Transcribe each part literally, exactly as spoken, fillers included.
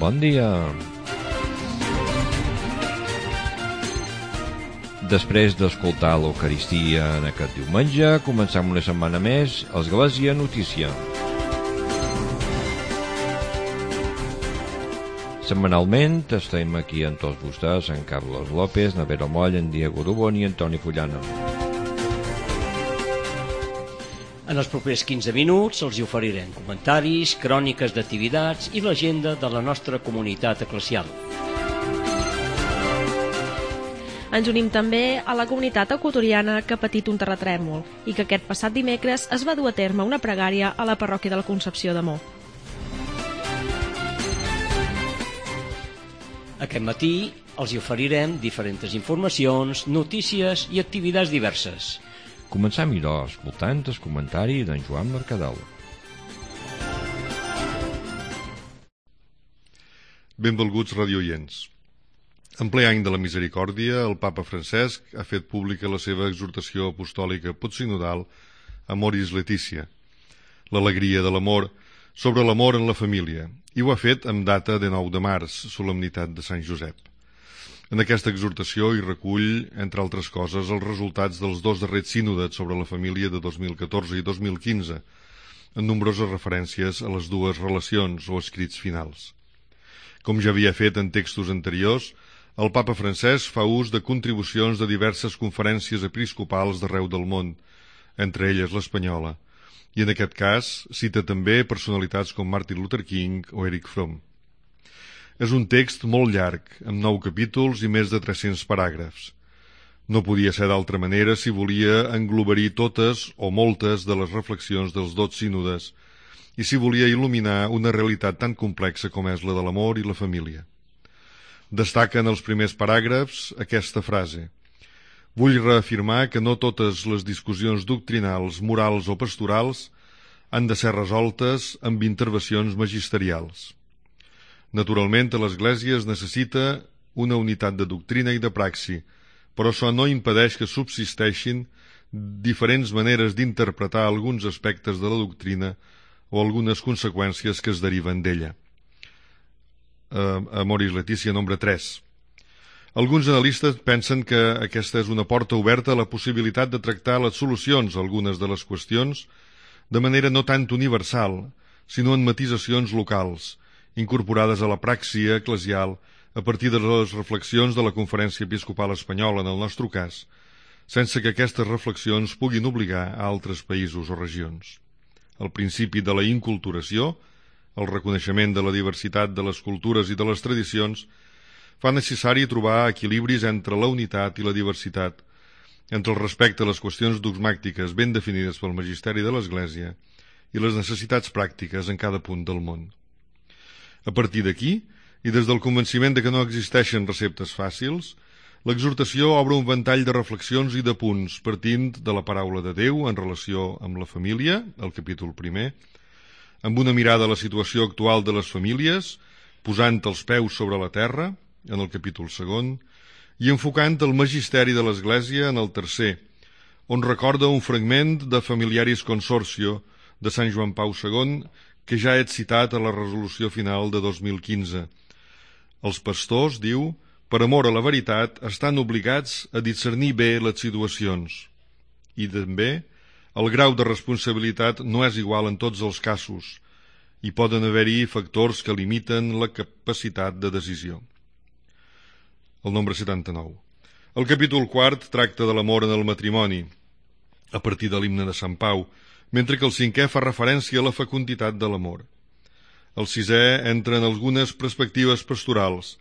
Bon dia. Després d'escoltar l'Eucaristia en aquest diumenge, comencem una setmana més a Església Notícia. Setmanalment estem aquí amb tots vostès, en Carlos López, na Vera Moll, en Diego Dubón i en Toni Fullana. En els propers quinze minuts els hi oferirem comentaris, cròniques d'activitats i l'agenda de la nostra comunitat eclesial. Ens unim també a la comunitat equatoriana que ha patit un terratrèmol i que aquest passat dimecres es va dur a terme una pregària a la parròquia de la Concepció d'Amor. Aquest matí els hi oferirem diferents informacions, notícies i activitats diverses. Comencem, idò, escoltant el comentari d'en Joan Mercadal. Benvolguts radioients. En ple any de la misericòrdia, el papa Francesc ha fet pública la seva exhortació apostòlica postsinodal Amoris Laetitia, l'alegria de l'amor, sobre l'amor en la família, i ho ha fet amb data de nou de març, solemnitat de Sant Josep. En aquesta exhortació hi recull, entre altres coses, els resultats dels dos darrers sínodes sobre la família de dos mil catorze i dos mil quinze, en nombroses referències a les dues relacions o escrits finals. Com ja havia fet en textos anteriors, el papa Francesc fa ús de contribucions de diverses conferències episcopals d'arreu del món, entre elles l'espanyola, i en aquest cas cita també personalitats com Martin Luther King o Eric Fromm. És un text molt llarg, amb nou capítols i més de tres-cents paràgrafs. No podia ser d'altra manera si volia englobar-hi totes o moltes de les reflexions dels dos sínodes i si volia il·luminar una realitat tan complexa com és la de l'amor i la família. Destaca en els primers paràgrafs aquesta frase: «Vull reafirmar que no totes les discussions doctrinals, morals o pastorals han de ser resoltes amb intervencions magisterials. Naturalment, a l'Església es necessita una unitat de doctrina i de praxi, però això no impedeix que subsisteixin diferents maneres d'interpretar alguns aspectes de la doctrina o algunes conseqüències que es deriven d'ella». Uh, Amoris Laetitia, nombre tres. Alguns analistes pensen que aquesta és una porta oberta a la possibilitat de tractar les solucions a algunes de les qüestions de manera no tant universal, sinó en matisacions locals, incorporades a la praxi eclesial a partir de les reflexions de la Conferència Episcopal Espanyola, en el nostre cas, sense que aquestes reflexions puguin obligar a altres països o regions. El principi de la inculturació, el reconeixement de la diversitat de les cultures i de les tradicions, fa necessari trobar equilibris entre la unitat i la diversitat, entre el respecte a les qüestions dogmàtiques ben definides pel magisteri de l'Església i les necessitats pràctiques en cada punt del món. A partir d'aquí, i des del convenciment de que no existeixen receptes fàcils, l'exhortació obre un ventall de reflexions i de punts partint de la paraula de Déu en relació amb la família, el capítol primer, amb una mirada a la situació actual de les famílies, posant els peus sobre la terra, en el capítol segon, i enfocant el magisteri de l'Església en el tercer, on recorda un fragment de Familiaris Consortio de Sant Joan Pau segon que ja he citat a la resolució final de dos mil quinze. Els pastors, diu, per amor a la veritat, estan obligats a discernir bé les situacions. I també, el grau de responsabilitat no és igual en tots els casos, i poden haver-hi factors que limiten la capacitat de decisió. El nombre setanta-nou. El capítol quart tracta de l'amor en el matrimoni, a partir de l'himne de Sant Pau, mentre que el cinquè fa referència a la fecunditat de l'amor. El sisè entra en algunes perspectives pastorals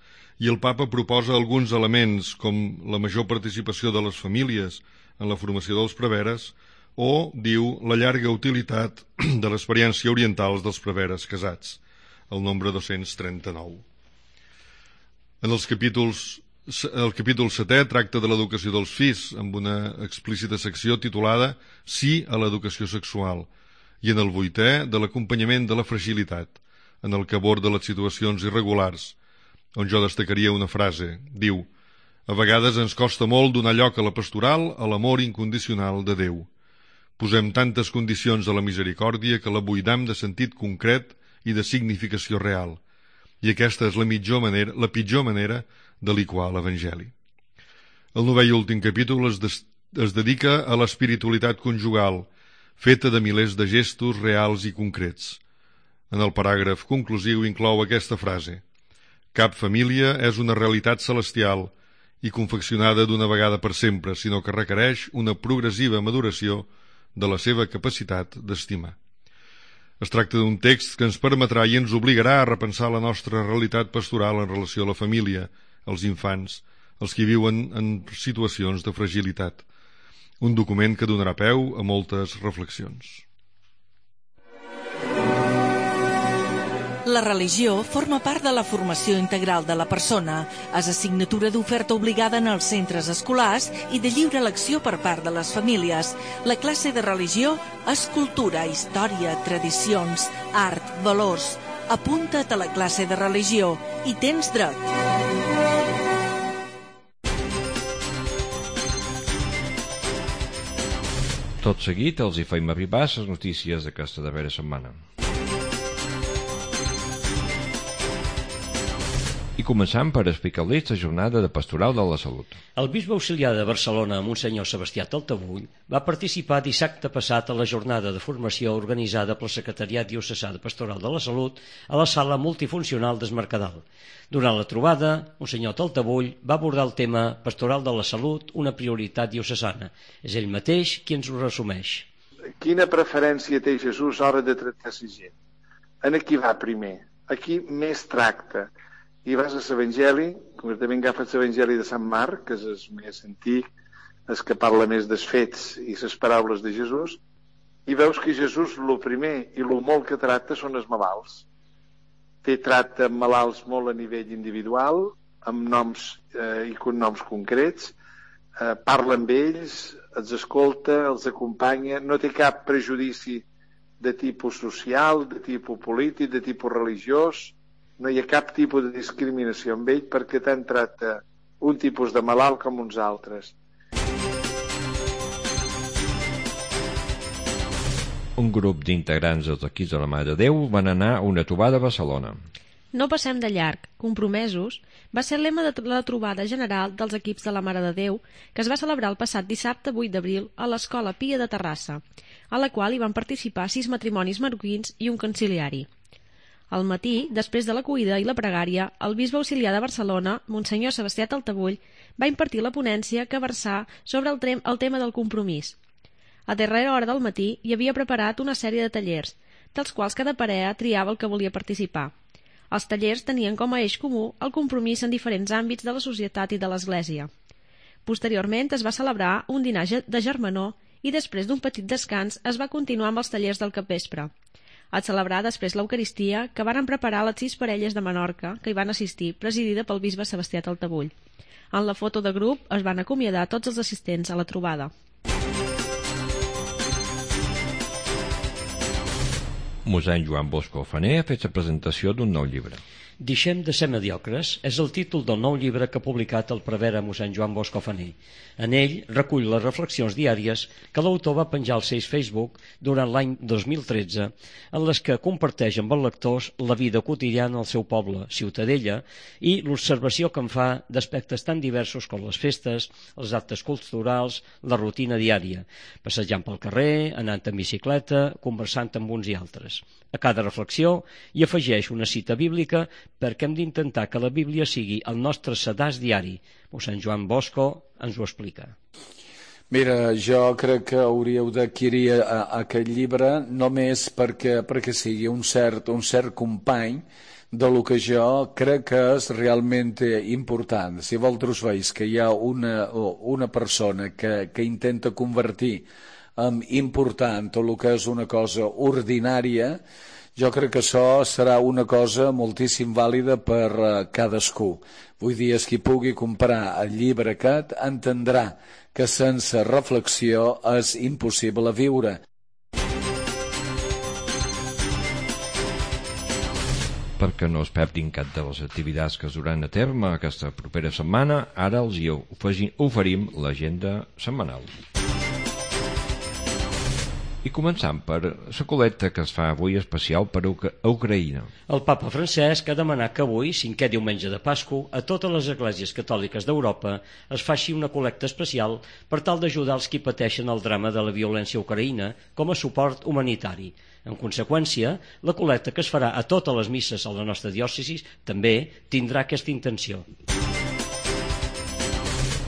i el papa proposa alguns elements com la major participació de les famílies en la formació dels preveres o, diu, la llarga utilitat de l'experiència oriental dels preveres casats, el nombre dos-cents trenta-nou. En els capítols El capítol setè tracta de l'educació dels fills, amb una explícita secció titulada Sí a l'educació sexual, i en el vuitè de l'acompanyament de la fragilitat, en el que aborda les situacions irregulars, on jo destacaria una frase. Diu: a vegades ens costa molt donar lloc a la pastoral a l'amor incondicional de Déu. Posem tantes condicions a la misericòrdia que la buidam de sentit concret i de significació real. i aquesta és la, mitjor manera, la pitjor manera de liquar l'Evangeli. El novè i últim capítol es, des, es dedica a l'espiritualitat conjugal, feta de milers de gestos reals i concrets. En el paràgraf conclusiu inclou aquesta frase: cap família és una realitat celestial i confeccionada d'una vegada per sempre, sinó que requereix una progressiva maduració de la seva capacitat d'estimar. Es tracta d'un text que ens permetrà i ens obligarà a repensar la nostra realitat pastoral en relació a la família, als infants, els que viuen en situacions de fragilitat. Un document que donarà peu a moltes reflexions. La religió forma part de la formació integral de la persona. És assignatura d'oferta obligada en els centres escolars i de lliure elecció per part de les famílies. La classe de religió és cultura, història, tradicions, art, valors. Apunta't a la classe de religió i tens dret. Tot seguit els hi feim arribar les notícies d'aquesta darrera setmana. I començam per explicar-los la jornada de Pastoral de la Salut. El bisbe auxiliar de Barcelona, Monsenyor Sebastià Taltabull, va participar dissabte passat a la jornada de formació organitzada pel Secretariat Diocesà de Pastoral de la Salut a la sala multifuncional d'Es Mercadal. Durant la trobada, Monsenyor Taltabull va abordar el tema Pastoral de la Salut, una prioritat diocesana. És ell mateix qui ens ho resumeix. Quina preferència té Jesús a l'hora de tractar la gent? En aquí va primer, aquí més tracta. I vas a l'Evangeli, concretament agafes l'Evangeli de Sant Marc, que és el més antic, el que parla més dels fets i les paraules de Jesús, i veus que Jesús el primer i el molt que tracta són els malalts. Té tracta amb malalts molt a nivell individual, amb noms eh, i cognoms concrets, eh, parla amb ells, els escolta, els acompanya, no té cap prejudici de tipus social, de tipus polític, de tipus religiós. No hi ha cap tipus de discriminació amb ell perquè tant tracta un tipus de malalt com uns altres. Un grup d'integrants dels equips de la Mare de Déu van anar a una trobada a Barcelona. No passem de llarg, compromesos, va ser el lema de la trobada general dels equips de la Mare de Déu que es va celebrar el passat dissabte vuit d'abril a l'Escola Pia de Terrassa, a la qual hi van participar sis matrimonis marroquins i un conciliari. Al matí, després de l'acollida i la pregària, el bisbe auxiliar de Barcelona, Monsenyor Sebastià Taltabull, va impartir la ponència que versà sobre el, trem, el tema del compromís. A darrera hora del matí hi havia preparat una sèrie de tallers, dels quals cada parella triava el que volia participar. Els tallers tenien com a eix comú el compromís en diferents àmbits de la societat i de l'Església. Posteriorment es va celebrar un dinar de germanor i després d'un petit descans es va continuar amb els tallers del capvespre. A celebrar després l'Eucaristia, que varen preparar les sis parelles de Menorca que hi van assistir, presidida pel bisbe Sebastià Taltabull. En la foto de grup es van acomiadar tots els assistents a la trobada. Mossèn Joan Bosco Faner ha fet la presentació d'un nou llibre. Deixem de ser mediocres és el títol del nou llibre que ha publicat el prevere mossèn Joan Bosco Faner. En ell recull les reflexions diàries que l'autor va penjar al seu Facebook durant l'any dos mil tretze, en les que comparteix amb els lectors la vida quotidiana al seu poble, Ciutadella, i l'observació que en fa d'aspectes tan diversos com les festes, els actes culturals, la rutina diària, passejant pel carrer, anant en bicicleta, conversant amb uns i altres. A cada reflexió hi afegeix una cita bíblica perquè hem d'intentar que la Bíblia sigui el nostre sedàs diari. Mossèn Joan Bosco ens ho explica. Mira, jo crec que hauríeu d'adquirir aquest llibre només perquè, perquè sigui un cert, un cert company de lo que jo crec que és realment important. Si vosaltres veus que hi ha una, una persona que, que intenta convertir en important tot el que és una cosa ordinària, jo crec que això serà una cosa moltíssim vàlida per uh, cadascú. Vull dir, és qui pugui comprar el llibre aquest entendrà que sense reflexió és impossible viure. Perquè no es perdin cap de les activitats que es duran a terme aquesta propera setmana, ara els hi oferim l'agenda setmanal. I començant per la col·lecta que es fa avui especial per a Ucraïna. El papa Francesc ha demanat que avui, cinquè diumenge de Pasqua, a totes les esglésies catòliques d'Europa es faci una col·lecta especial per tal d'ajudar els qui pateixen el drama de la violència ucraïna com a suport humanitari. En conseqüència, la col·lecta que es farà a totes les misses a la nostra diòcesi també tindrà aquesta intenció.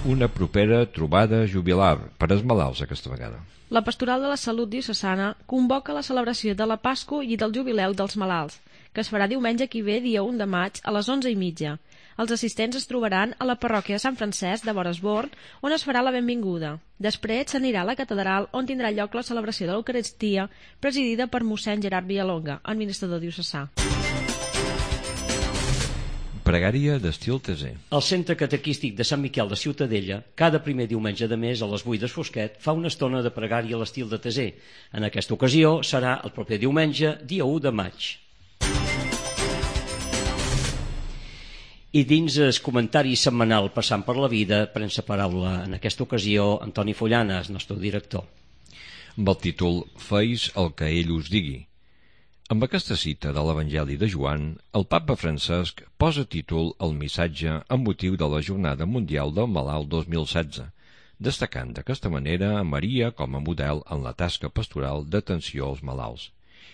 Una propera trobada jubilar per als malalts aquesta vegada. La Pastoral de la Salut Diocesana convoca la celebració de la Pasqua i del Jubileu dels Malalts, que es farà diumenge que ve, dia u de maig, a les onze i mitja. Els assistents es trobaran a la parròquia de Sant Francesc de Boresborn, on es farà la benvinguda. Després s'anirà a la catedral, on tindrà lloc la celebració de l'Eucaristia, presidida per mossèn Gerard Villalonga, administrador diocesà. Pregària d'estil teser. El Centre Catequístic de Sant Miquel de Ciutadella, cada primer diumenge de mes a les vuit d'Esfosquet, fa una estona de pregària a l'estil de teser. En aquesta ocasió serà el proper diumenge, dia u de maig. I dins el comentari setmanal Passant per la vida, pren la paraula en aquesta ocasió Antoni Follana, el nostre director. Amb el títol Feis el que ell us digui. Amb aquesta cita de l'Evangeli de Joan, el papa Francesc posa títol al missatge amb motiu de la Jornada Mundial del Malalt dos mil setze, destacant d'aquesta manera a Maria com a model en la tasca pastoral d'atenció als malalts.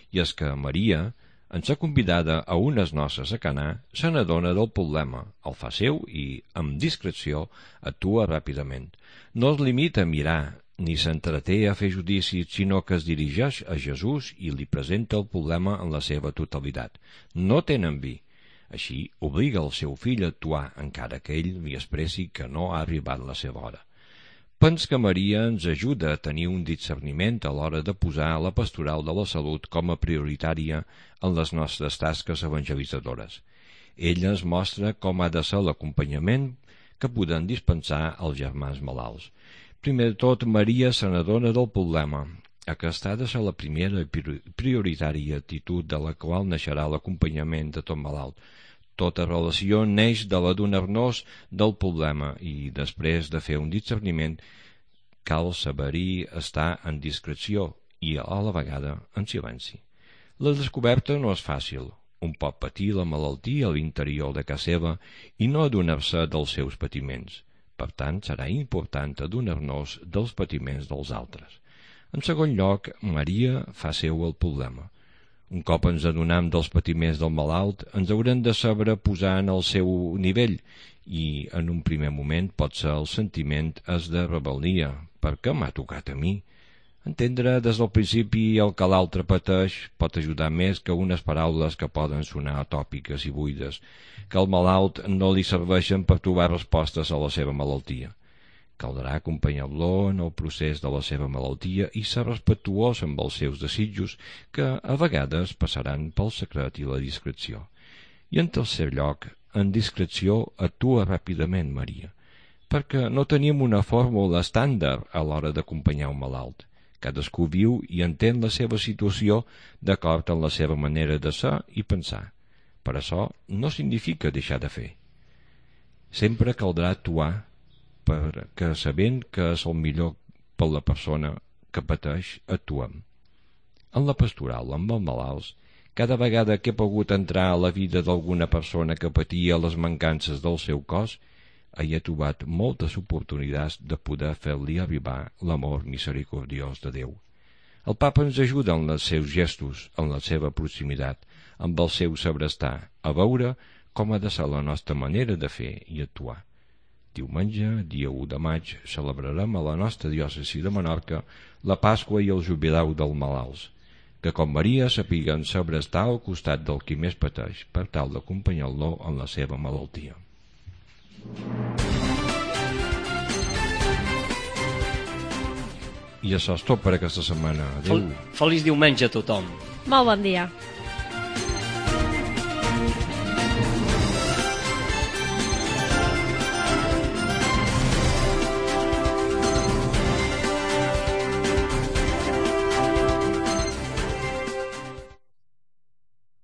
I és que Maria, en ser convidada a unes noces a Canà, se n'adona del problema, el fa seu i, amb discreció, actua ràpidament. No es limita a mirar ni s'entreté a fer judicis, sinó que es dirigeix a Jesús i li presenta el problema en la seva totalitat. No tenen vi. Així obliga el seu fill a actuar, encara que ell li expressi que no ha arribat la seva hora. Pens que Maria ens ajuda a tenir un discerniment a l'hora de posar la pastoral de la salut com a prioritària en les nostres tasques evangelitzadores. Ella ens mostra com ha de ser l'acompanyament que poden dispensar als germans malalts. Primer de tot, Maria se n'adona del problema. Aquesta ha de ser la primera i prioritària actitud de la qual naixerà l'acompanyament de tot malalt. Tota relació neix de l'adonar-nos del problema i, després de fer un discerniment, cal saber-hi estar en discreció i, a la vegada, en silenci. La descoberta no és fàcil. Un pot patir la malaltia a l'interior de casa seva i no adonar-se dels seus patiments. Per tant, serà important adonar-nos dels patiments dels altres. En segon lloc, Maria fa seu el problema. Un cop ens adonam dels patiments del malalt, ens haurem de saber posar en el seu nivell i, en un primer moment, pot ser el sentiment és de rebel·lia. Per què m'ha tocat a mi? Entendre des del principi el que l'altre pateix pot ajudar més que unes paraules que poden sonar atòpiques i buides, que al malalt no li serveixen per trobar respostes a la seva malaltia. Caldrà acompanyar-lo en el procés de la seva malaltia i ser respectuós amb els seus desitjos, que a vegades passaran pel secret i la discreció. I en tercer lloc, en discreció actua ràpidament Maria, perquè no tenim una fórmula estàndard a l'hora d'acompanyar un malalt. Cadascú viu i entén la seva situació d'acord amb la seva manera de ser i pensar. Per això no significa deixar de fer. Sempre caldrà actuar perquè sabent que és el millor per la persona que pateix, actuem. En la pastoral amb els malalts, cada vegada que he pogut entrar a la vida d'alguna persona que patia les mancances del seu cos, hi he trobat moltes oportunitats de poder fer-li arribar l'amor misericordiós de Déu. El papa ens ajuda en els seus gestos, en la seva proximitat, amb el seu saber estar, a veure com ha de ser la nostra manera de fer i actuar. Diumenge, dia u de maig, celebrarem a la nostra diòcesi de Menorca la Pasqua i el Jubileu dels Malalts, que com Maria sapiguen saber estar al costat del qui més pateix per tal d'acompanyar-lo en la seva malaltia. I això és tot per aquesta setmana. Adéu. Feliç diumenge a tothom. Molt bon dia.